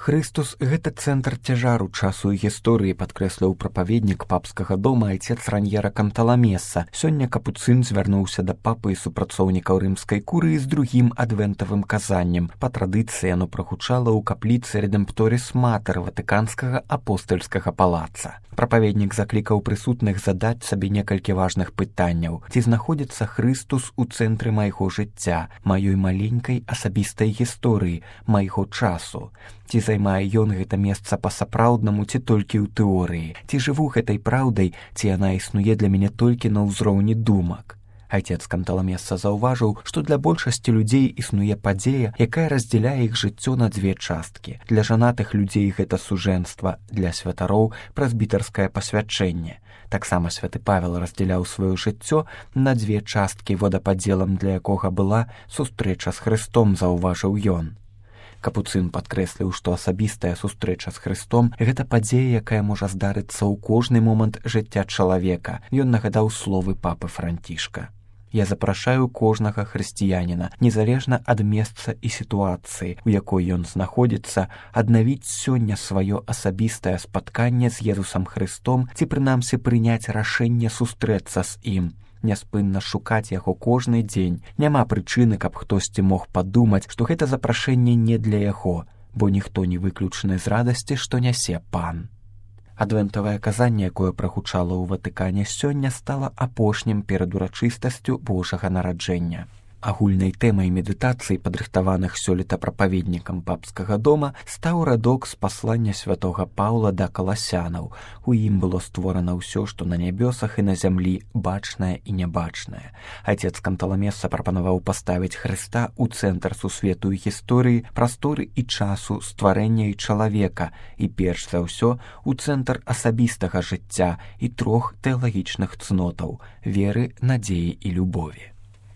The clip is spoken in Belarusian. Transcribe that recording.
Хрыстус – гэта цэнтр цяжару часу і гісторыі, падкрэсліў прапаведнік папскага дома айцец Раньера Канталамеса. Сёння капуцын звярнуўся да папы і супрацоўнікаў рымскай курыі з другім адвентавым казаннем. Па традыцыі яно прагучала ў капліцы Редемпторис Матер ватыканскага апостальскага палаца. Прапаведнік заклікаў прысутных задаць сабе некалькі важных пытанняў. Ці знаходзіцца Хрыстус у цэнтры майго жыцця, маёй маленькай асабістай гісторыі, майго часу? Ці займае ён гэта месца па-сапраўднаму, ці толькі ў тэорыі? Ці жыву гэтай праўдай, ці яна існуе для мяне толькі на ўзроўні думак? Айцец Канталамеса заўважыў, што для большасці людзей існуе падзея, якая раздзяляе іх жыццё на дзве часткі. Для жанатых людзей гэта сужэнства, для святароў прэзбітарскае пасвячэнне. Таксама святы Павел раздзяляў сваё жыццё на дзве часткі, водападзелам для якога была сустрэча з Хрыстом, заўважыў ён. Капуцын падкрэсліў, што асабістая сустрэча з Хрыстом – гэта падзея, якая можа здарыцца ў кожны момант жыцця чалавека. Ён нагадаў словы папы Францішка. «Я запрашаю кожнага хрысціяніна, незалежна ад месца і сітуацыі, у якой ён знаходзіцца, аднавіць сёння сваё асабістае спатканне з Езусам Хрыстом ці прынамсі прыняць рашэнне сустрэцца з ім. Няспынна шукаць яго кожны дзень. Няма прычыны, каб хтосьці мог падумаць, што гэта запрашэнне не для яго, бо ніхто не выключаны з радасці, што нясе пан». Адвентавае казанне, якое прагучала ў Ватыкане сёння, стала апошнім перад урачыстасцю Божага нараджэння. Агульнай тэмай медытацыі, падрыхтаваных сёлета прапаведнікам папскага дома, стаў радок з паслання святога Паўла да каласянаў. У ім было створана ўсё, што на нябёсах і на зямлі, бачнае і нябачнае. Айцец Канталамеса прапанаваў паставіць Хрыста ў цэнтр сусвету і гісторыі, прасторы і часу, стварэння і чалавека, і перш за ўсё у цэнтр асабістага жыцця і трох тэалагічных цнотаў – веры, надзеі і любові.